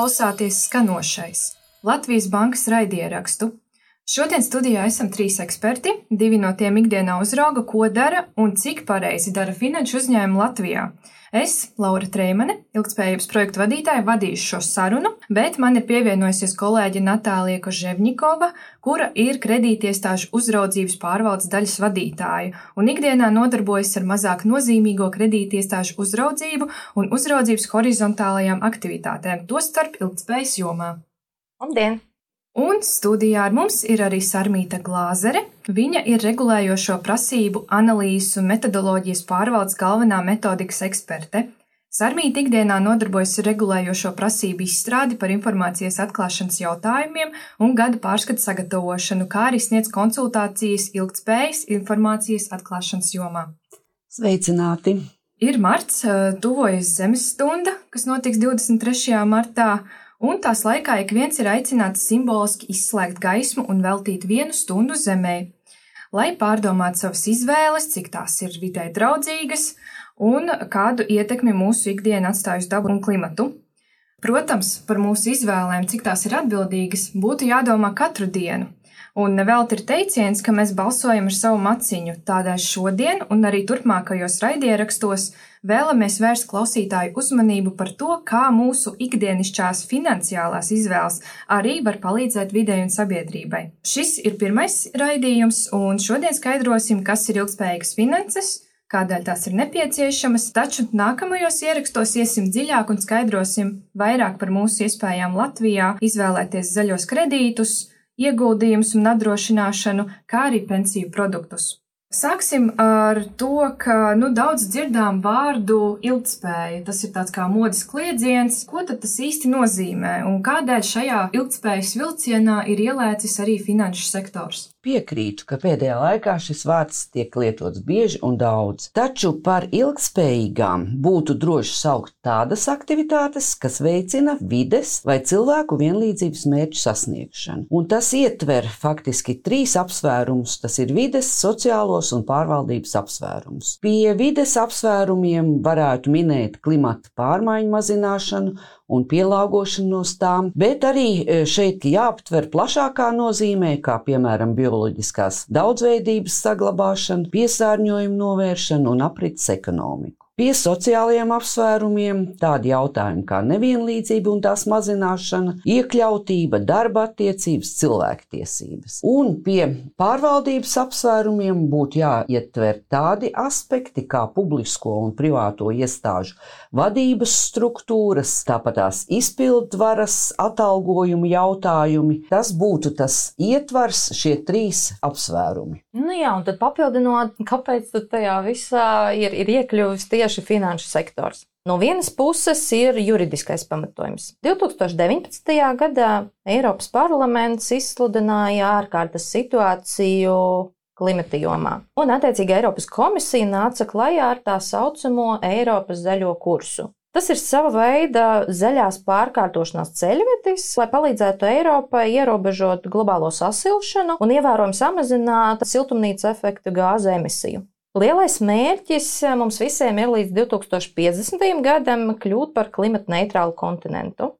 klausāties skanošais Latvijas Bankas raidierakstu. Šodien studijā esam 3 eksperti, 2 no tiem ikdienā uzrauga, ko dara un cik pareizi dara finanšu uzņēmumi Latvijā. Es, Laura Treimane, ilgtspējības projektu vadītāja, vadīšu šo sarunu, bet man ir pievienojusies kolēģe Natālija Koževņikova, kura ir kredītiestāžu uzraudzības pārvaldes daļas vadītāja un ikdienā nodarbojas ar mazāk nozīmīgo kredītiestāžu uzraudzību un uzraudzības horizontālajām aktivitātēm, tostarp ilgtspējas jomā. Labdien! Un studijā ar mums ir arī Sarmīta Glāzere. Viņa ir regulējošo prasību, analīzes un metodoloģijas pārvaldes galvenā metodikas eksperte. Sarmīta ikdienā nodarbojas ar regulējošo prasību izstrādi par informācijas atklāšanas jautājumiem un gada pārskatu sagatavošanu, kā arī sniedz konsultācijas ilgtspējas informācijas atklāšanas jomā. Sveicināti! Ir marts, tuvojas zemes stunda, kas notiks 23. martā. Un tās laikā ik viens ir aicināts simboliski izslēgt gaismu un veltīt 1 stundu zemē, lai pārdomātu savas izvēles, cik tās ir vidē draudzīgas un kādu ietekmi mūsu ikdiena atstāj uz dabu un klimatu. Protams, par mūsu izvēlēm, cik tās ir atbildīgas, būtu jādomā katru dienu. Un nevelti ir teiciens, ka mēs balsojam ar savu maciņu, tādēļ šodien un arī turpmākajos raidierakstos vēlamies vērst klausītāju uzmanību par to, kā mūsu ikdienišķās finansiālās izvēles arī var palīdzēt videi un sabiedrībai. Šis ir pirmais raidījums, un šodien skaidrosim, kas ir ilgtspējīgas finanses, kādēļ tās ir nepieciešamas, taču nākamajos ierakstos iesim dziļāk un skaidrosim vairāk par mūsu iespējām Latvijā izvēlēties zaļos kredītus, ieguldījumus un apdrošināšanu, kā arī pensiju produktus. Sāksim ar to, ka daudz dzirdām vārdu ilgtspēja. Tas ir tāds kā modes kliedziens. Ko tad tas īsti nozīmē un kādēļ šajā ilgtspējas vilcienā ir ielēcis arī finanšu sektors? Piekrītu, ka pēdējā laikā šis vārds tiek lietots bieži un daudz, taču par ilgtspējīgām būtu droši saukt tādas aktivitātes, kas veicina vides vai cilvēku vienlīdzības mērķu sasniegšanu. Un tas ietver faktiski 3 apsvērumus, tas ir vides, sociālos un pārvaldības apsvērumus. Pie vides apsvērumiem varētu minēt klimata pārmaiņu mazināšanu un pielāgošanos tām, bet arī šeit jāaptver plašākā nozīmē, kā piemēram bioloģiskās daudzveidības saglabāšana, piesārņojuma novēršana un aprits ekonomiku. Pie sociālajiem apsvērumiem tādi jautājumi kā nevienlīdzība un tās mazināšana, iekļautība, darba attiecības, cilvēktiesības. Un pie pārvaldības apsvērumiem būtu jāietver tādi aspekti kā publisko un privāto iestāžu vadības struktūras, tāpat tās izpildvaras atalgojumu jautājumi. Tas būtu tas ietvars, šie 3 apsvērumi. Un tad papildinot, kāpēc tad tajā visā ir iekļuvis tieši finanšu sektors. No vienas puses ir juridiskais pamatojums. 2019. gadā Eiropas parlaments izsludināja ārkārtas situāciju klimata jomā. Un attiecīgi Eiropas komisija nāca klajā ar tā saucamo Eiropas zaļo kursu. Tas ir sava veida zaļās pārkārtošanās ceļvedis, lai palīdzētu Eiropai ierobežot globālo sasilšanu un ievērojami samazināt siltumnīca efekta gāzu emisiju. Lielais mērķis mums visiem ir līdz 2050. gadam kļūt par klimata neitrālu kontinentu.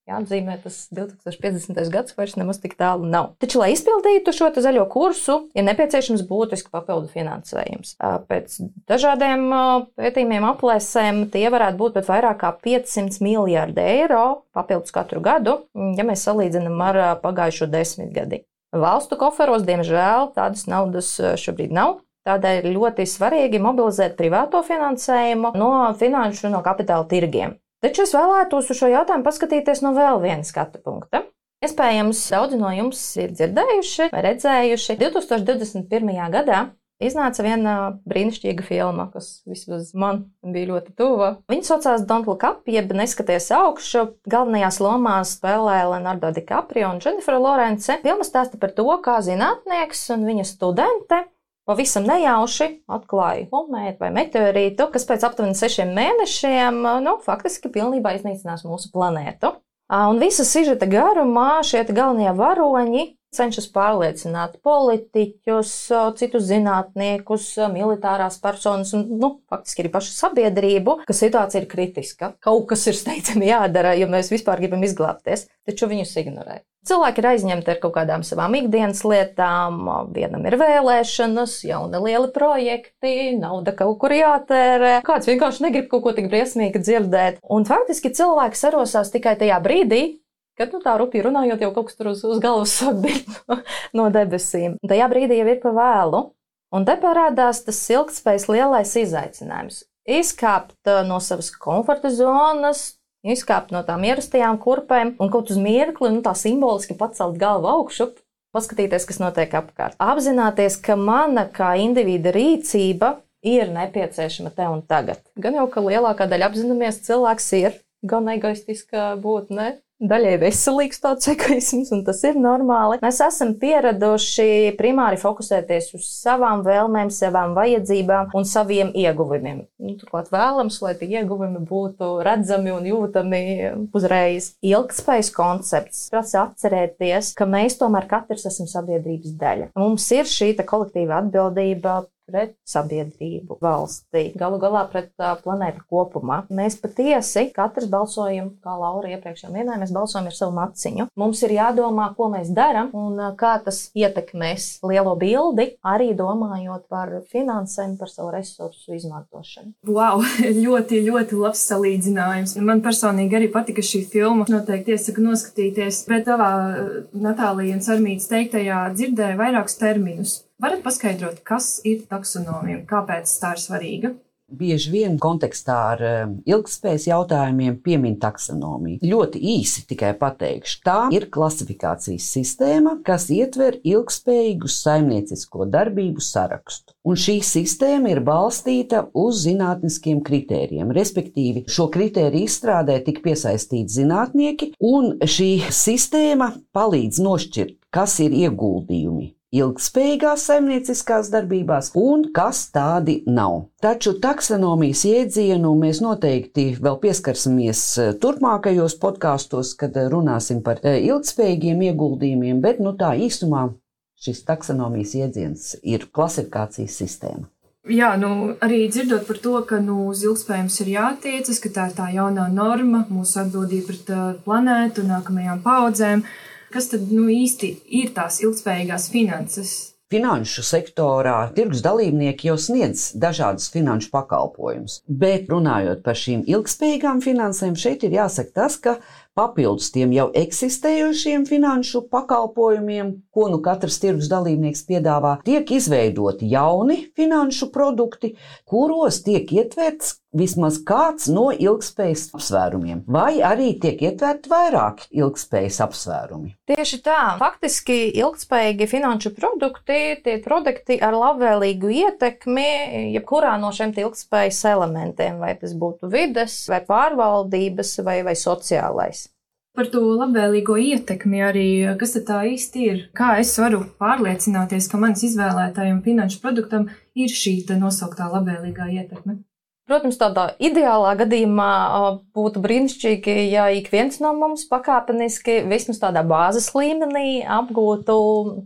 Jāatzīmē, tas 2050. gads vairs nemaz tik tālu nav. Taču, lai izpildītu šo zaļo kursu, ir nepieciešams būtiski papildu finansējums. Pēc dažādiem pētījumiem aplēsēm tie varētu būt pat vairāk kā 500 miljārdi eiro papildus katru gadu, ja mēs salīdzinām ar pagājušo 10 gadi. Valstu koferos, diemžēl, tādas naudas šobrīd nav. Tādēļ ir ļoti svarīgi mobilizēt privāto finansējumu no finanšu un no kapitāla tirgiem. Taču es vēlētos uz šo jautājumu paskatīties no vēl viena skatu punkta. Iespējams, daudzi no jums ir dzirdējuši vai redzējuši. 2021. gadā iznāca viena brīnišķīga filma, kas vismaz man bija ļoti tuva. Viņa saucās Don't Look Up, jeb Neskaties augšu. Galvenajās lomās spēlē Leonardo DiCaprio un Jennifer Lawrence. Filma stāsta par to, kā zinātnieks un viņa studente pavisam nejauši atklāja komētu vai meteorītu, kas pēc aptuveni 6 mēnešiem faktiski pilnībā iznīcinās mūsu planētu. Un visa sižeta garumā šie galvenie varoņi cenšas pārliecināt politiķus, citus zinātniekus, militārās personas un, faktiski arī pašu sabiedrību, ka situācija ir kritiska. Kaut kas ir steidzami jādara, ja mēs vispār gribam izglābties, taču viņus ignorē. Cilvēki ir aizņemti ar kaut kādām savām ikdienas lietām, vienam ir vēlēšanas, jauni lieli projekti, nauda kaut kur jātērē, kāds vienkārši negrib kaut ko tik briesmīgi dzirdēt. Un faktiski cilvēki sarosās tikai tajā brīdī, kad tā rupji runājot, jau kaut kas tur uz galvas sāk birt no debesīm. Tajā brīdī jau ir pa vēlu. Un te parādās tas ilgtspējas lielais izaicinājums. Izkāpt no savas komforta zonas, izkāpt no tām ierastajām kurpēm un kaut uz mirkli, tā simboliski pacelt galvu augšu, paskatīties, kas notiek apkārt. Apzināties, ka mana kā individa rīcība ir nepieciešama te un tagad. Gan jau, ka lielākā daļa apzināmies, cilvēks ir gan egoistiska būtne, daļai veselīgs tāds egoisms, un tas ir normāli. Mēs esam pieraduši primāri fokusēties uz savām vēlmēm, savām vajadzībām un saviem ieguvumiem. Turklāt vēlams, lai tie ieguvumi būtu redzami un jūtami uzreiz. Ilgtspējas koncepts prasa atcerēties, ka mēs tomēr katrs esam sabiedrības daļa. Mums ir šī kolektīva atbildība pret sabiedrību, valsti, galu galā pret planētu kopumā. Mēs patiesi katrs balsojam, kā Laura iepriekš jau minēja, mēs balsojam ar savu maciņu. Mums ir jādomā, ko mēs daram un kā tas ietekmēs lielo bildi, arī domājot par finansēm, par savu resursu izmantošanu. Wow, ļoti, ļoti labs salīdzinājums. Man personīgi arī patika šī filma. Noteikti iesaku noskatīties, bet tavā Natālija un Sarmītas teiktajā dzirdēju vairākus terminus. Varat paskaidrot, kas ir taksonomija un kāpēc tā ir svarīga? Bieži vien kontekstā ar ilgtspējas jautājumiem piemin taksonomiju. Ļoti īsi tikai pateikšu, tā ir klasifikācijas sistēma, kas ietver ilgtspējīgu saimniecisko darbību sarakstu. Un šī sistēma ir balstīta uz zinātniskiem kritērijiem, respektīvi šo kritēriju izstrādē tik piesaistīti zinātnieki, un šī sistēma palīdz nošķirt, kas ir ieguldījumi ilgtspējīgās saimnieciskās darbībās un kas tādi nav. Taču taksonomijas jēdzienu mēs noteikti vēl pieskarsimies turpmākajos podkāstos, kad runāsim par ilgtspējīgiem ieguldījumiem, bet tā īsumā šis taksonomijas jēdziens ir klasifikācijas sistēma. Jā, arī dzirdot par to, ka uz ilgtspējums ir jātiecas, ka tā ir tā jaunā norma, mūsu atbildība pret planētu, nākamajām paudzēm. Kas tad īsti ir tās ilgtspējīgās finanses? Finanšu sektorā tirgus dalībnieki jau sniedz dažādus finanšu pakalpojumus, bet runājot par šīm ilgtspējīgām finansēm, šeit ir jāsaka tas, ka papildus tiem jau eksistējošiem finanšu pakalpojumiem, ko katrs tirgus dalībnieks piedāvā, tiek izveidoti jauni finanšu produkti, kuros tiek ietverts vismaz kāds no ilgtspējas apsvērumiem, vai arī tiek ietverti vairāki ilgtspējas apsvērumi. Tieši tā. Faktiski ilgtspējīgi finanšu produkti, tie produkti ar labvēlīgu ietekmi jebkurā no šiem ilgtspējas elementiem, vai tas būtu vides, vai pārvaldības, vai sociālais. Par to labvēlīgo ietekmi arī, kas tad tā īsti ir? Kā es varu pārliecināties, ka manis izvēlētajam finanšu produktam ir šī nosauktā labvēlīgā ietekme? Protams, tādā ideālā gadījumā būtu brīnišķīgi, ja ik viens no mums pakāpeniski vismaz tādā bāzes līmenī apgūtu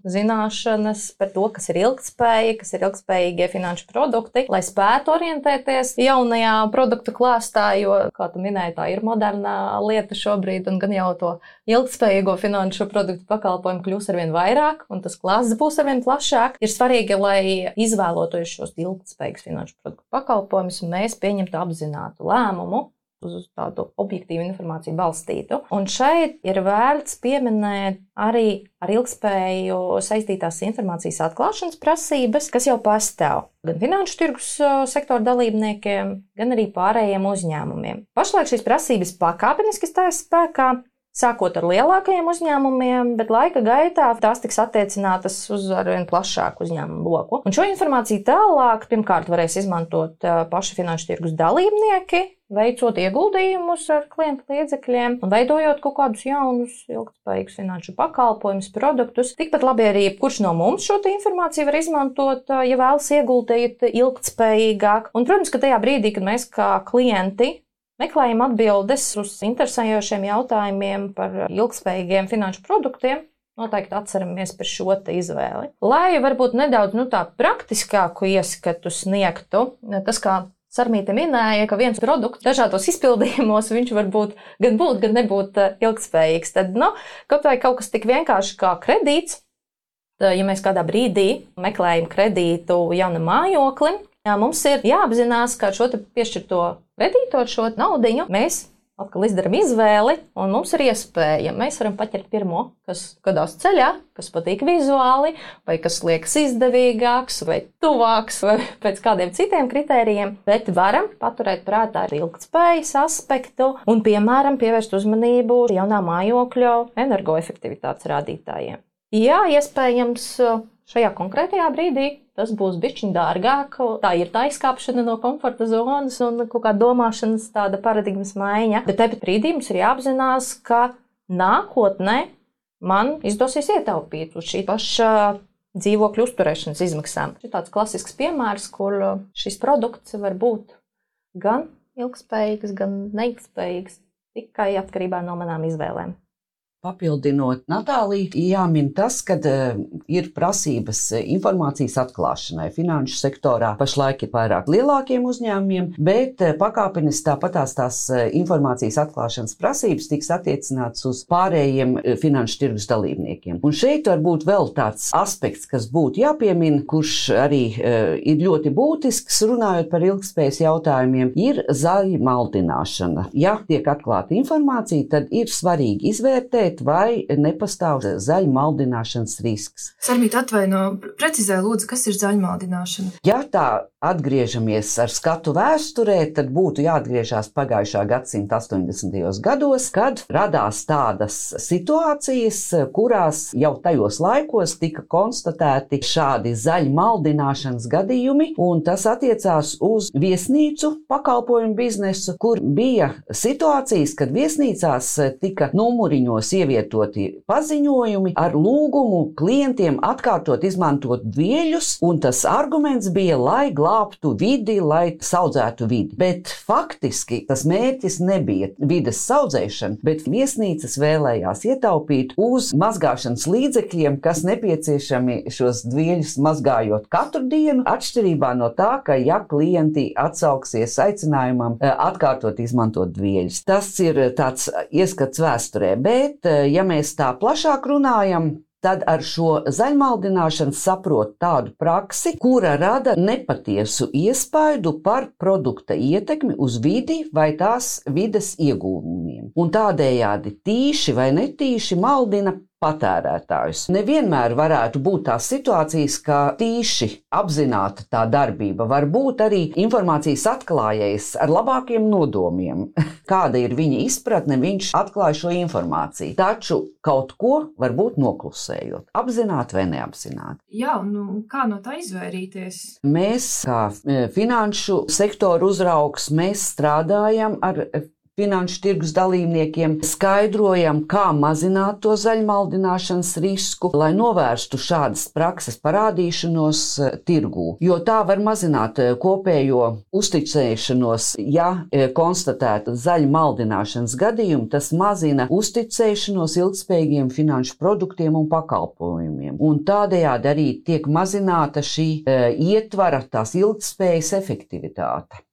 zināšanas par to, kas ir ilgtspēja, kas ir ilgtspējīgie finanšu produkti, lai spētu orientēties jaunajā produktu klāstā, jo, kā tu minēji, tā ir modernā lieta šobrīd, un gan jau to ilgtspējīgo finanšu produktu pakalpojumu kļūs arvien vairāk, un tas klāsts būs arvien plašāk. Ir svarīgi, lai izvēloties šos ilgtspējīgus finanšu produktu pakalpojumus, mēs pieņemtu apzinātu lēmumu uz tādu objektīvu informāciju balstītu. Un šeit ir vērts pieminēt arī ar ilgtspēju saistītās informācijas atklāšanas prasības, kas jau pastāv gan finanšu tirgus sektora dalībniekiem, gan arī pārējiem uzņēmumiem. Pašlaik šīs prasības pakāpeniski stājas spēkā, sākot ar lielākajiem uzņēmumiem, bet laika gaitā tās tiks attiecinātas uz arvien plašāku uzņēmumu loku. Un šo informāciju tālāk pirmkārt varēs izmantot paši finanšu tirgus dalībnieki, veicot ieguldījumus ar klientu līdzekļiem un veidojot kaut kādus jaunus ilgtspējīgus finanšu pakalpojumus, produktus. Tikpat labi arī kurš no mums šo informāciju var izmantot, ja vēlas ieguldīt ilgtspējīgāk. Un, protams, ka tajā brīdī, kad mēs kā klienti meklējam atbildes uz interesējošiem jautājumiem par ilgtspējīgiem finanšu produktiem, noteikti atceramies par šo te izvēli. Lai varbūt nedaudz tā praktiskāku ieskatu sniegtu, tas kā Sarmīte minēja, ka viens produkts dažādos izpildījumos viņš var būt, gan nebūt ilgspējīgs. Tad, kaut kas tik vienkārši kā kredīts, ja mēs kādā brīdī meklējam kredītu jaunam mājoklim, mums ir jāapzinās, ka šo te piešķirto kredītu ar šo naudiņu mēs atkal izdaram izvēli, un mums ir iespēja. Mēs varam paķert pirmo, kas gadās ceļā, kas patīk vizuāli, vai kas liekas izdevīgāks, vai tuvāks, vai pēc kādiem citiem kritērijiem, bet varam paturēt prātā ilgtspējas aspektu un, piemēram, pievērst uzmanību jaunā mājokļa energoefektivitātes rādītājiem. Jā, iespējams, šajā konkrētajā brīdī tas būs bišķiņ dārgāk, tā ir tā izkāpšana no komforta zonas un kaut kā domāšanas tāda paradigmas maiņa, bet tāpat brīdī mums ir jāapzinās, ka nākotnē man izdosies ietaupīt uz šī paša dzīvokļu uzturēšanas izmaksām. Tas ir tāds klasisks piemērs, kur šis produkts var būt gan ilgspējīgs, gan neilgspējīgs, tikai atkarībā no manām izvēlēm. Papildinot Natāliju, jāmin tas, ka ir prasības informācijas atklāšanai. Finanšu sektorā pašlaik ir vairāk lielākiem uzņēmumiem, bet pakāpeniski tāpatās tās informācijas atklāšanas prasības tiks attiecināts uz pārējiem finanšu tirgus dalībniekiem. Un šeit var būt vēl tāds aspekts, kas būtu jāpiemina, kurš arī ir ļoti būtisks, runājot par ilgspējas jautājumiem, ir zaļa maldināšana. Ja tiek atklāta informācija, tad ir svarīgi izvērtēt, vai nepastāv zaļa maldināšanas risks. Sarmīt, precizē lūdzu, kas ir zaļa maldināšana? Ja tā atgriežamies ar skatu vēsturē, tad būtu jāatgriežās pagājušā gadsimta 80. gados, kad radās tādas situācijas, kurās jau tajos laikos tika konstatēti šādi zaļa maldināšanas gadījumi, un tas attiecās uz viesnīcu pakalpojumu biznesu, kur bija situācijas, kad viesnīcās tika numuriņos ievietoti paziņojumi ar lūgumu klientiem atkārtot izmantot dvieļus, un tas arguments bija, lai glābtu vidi, lai saudzētu vidi. Bet faktiski tas mērķis nebija vides saudzēšana, bet viesnīcas vēlējās ietaupīt uz mazgāšanas līdzekļiem, kas nepieciešami šos dvieļus mazgājot katru dienu, atšķirībā no tā, ka ja klienti atsauksies aicinājumam atkārtot izmantot dvieļus. Tas ir tāds ieskats vēsturē, bet ja mēs tā plašāk runājam, tad ar šo zaļmaldināšanu saprot tādu praksi, kura rada nepatiesu iespaidu par produkta ietekmi uz vidi vai tās vides ieguvumiem. Un tādējādi tīši vai netīši maldina patērētājus. Nevienmēr varētu būt tās situācijas, ka tīši apzināta tā darbība var būt arī informācijas atklājējs ar labākiem nodomiem. Kāda ir viņa izpratne, viņš atklāja šo informāciju. Taču kaut ko varbūt noklusējot, apzināti vai neapzināti. Jā, kā no tā izvairīties? Mēs, kā finanšu sektoru uzraugs, mēs strādājam ar finanšu tirgus dalībniekiem, skaidrojam, kā mazināt to zaļmaldināšanas risku, lai novērstu šādas prakses parādīšanos tirgū. Jo tā var mazināt kopējo uzticēšanos, ja konstatēta zaļmaldināšanas gadījumi, tas mazina uzticēšanos ilgspējīgiem finanšu produktiem un pakalpojumiem. Un tādējādi arī tiek mazināta šī ietvara, tās ilgspējas efektivitāte.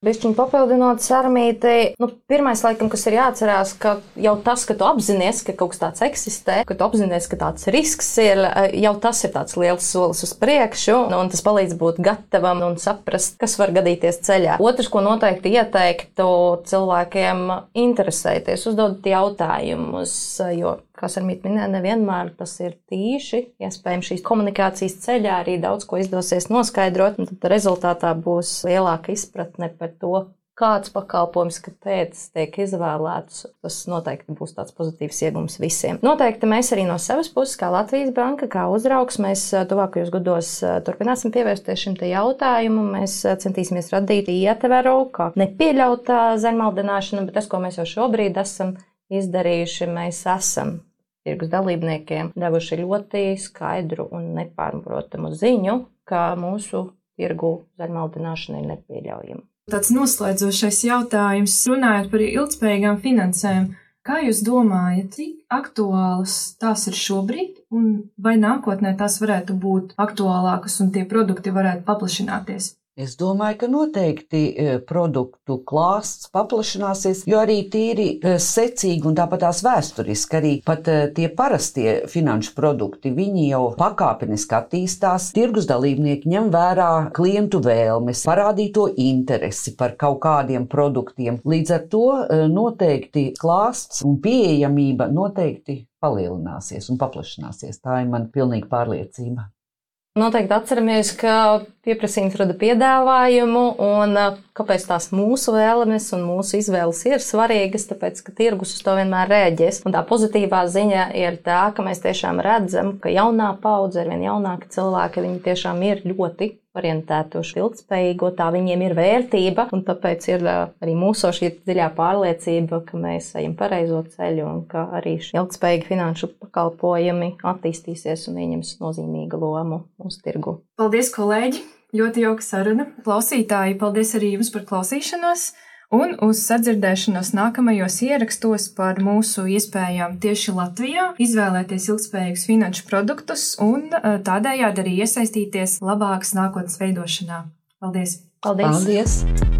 Bišķiņ papildinot Sarmīti, pirmais laikam, kas ir jāatcerās, ka jau tas, ka tu apzinies, ka kaut kas tāds eksistē, ka tu apzinies, ka tāds risks ir, jau tas ir tāds liels solis uz priekšu, un tas palīdz būt gatavam un saprast, kas var gadīties ceļā. Otrs, ko noteikti ieteiktu cilvēkiem interesēties, uzdodot jautājumus, jo, kā Sarmīte minēja, nevienmēr tas ir tīši. Iespējams, šīs komunikācijas ceļā arī daudz ko izdosies noskaidrot, un tad rezultātā būs lielāka izpratne par to, kāds pakalpojums, kāpēc tiek izvēlēts. Tas noteikti būs tāds pozitīvs iegums visiem. Noteikti mēs arī no savas puses, kā Latvijas banka, kā uzraugs, mēs tuvākajos gados turpināsim pievērsties šim te jautājumam. Mēs centīsimies radīt ietveru, kā nepieļaut zaļmaldināšanu, bet tas, ko mēs jau šobrīd esam izdarījuši, mēs esam tirgus dalībniekiem devuši ļoti skaidru un nepārprotamu ziņu, ka mūsu tirgu zaļmaldināšana ir nepieļaujama. Tāds noslēdzošais jautājums, runājot par ilgspējīgām finansēm. Kā jūs domājat, cik aktuālas tās ir šobrīd, un vai nākotnē tās varētu būt aktuālākas un tie produkti varētu paplašināties? Es domāju, ka noteikti produktu klāsts paplašināsies, jo arī tīri secīgi un tāpat tās vēsturiski arī pat tie parastie finanšu produkti, viņi jau pakāpeniski attīstās. Tirgus dalībnieki ņem vērā klientu vēlmes, parādīto interesi par kaut kādiem produktiem. Līdz ar to noteikti klāsts un pieejamība noteikti palielināsies un paplašināsies. Tā ir man pilnīga pārliecība. Noteikti atceramies, ka pieprasījums rada piedāvājumu, un kāpēc tās mūsu vēlmes un mūsu izvēles ir svarīgas, tāpēc, ka tirgus uz to vienmēr rēģēs. Un tā pozitīvā ziņa ir tā, ka mēs tiešām redzam, ka jaunā paudze, arvien jaunāki cilvēki, viņi tiešām ir ļoti orientēti uz ilgtspējīgo, tā viņiem ir vērtība, un tāpēc ir arī mūsu šī dziļā pārliecība, ka mēs ejam pareizo ceļu un ka arī ilgtspējīgi finanšu pakalpojumi attīstīsies un ieņems nozīmīgu lomu mūsu tirgu. Paldies, kolēģi! Ļoti jauka saruna. Klausītāji, paldies arī jums par klausīšanos un uz sadzirdēšanos nākamajos ierakstos par mūsu iespējām tieši Latvijā izvēlēties ilgtspējīgus finanšu produktus un tādējādi arī iesaistīties labākas nākotnes veidošanā. Paldies! Paldies! Paldies.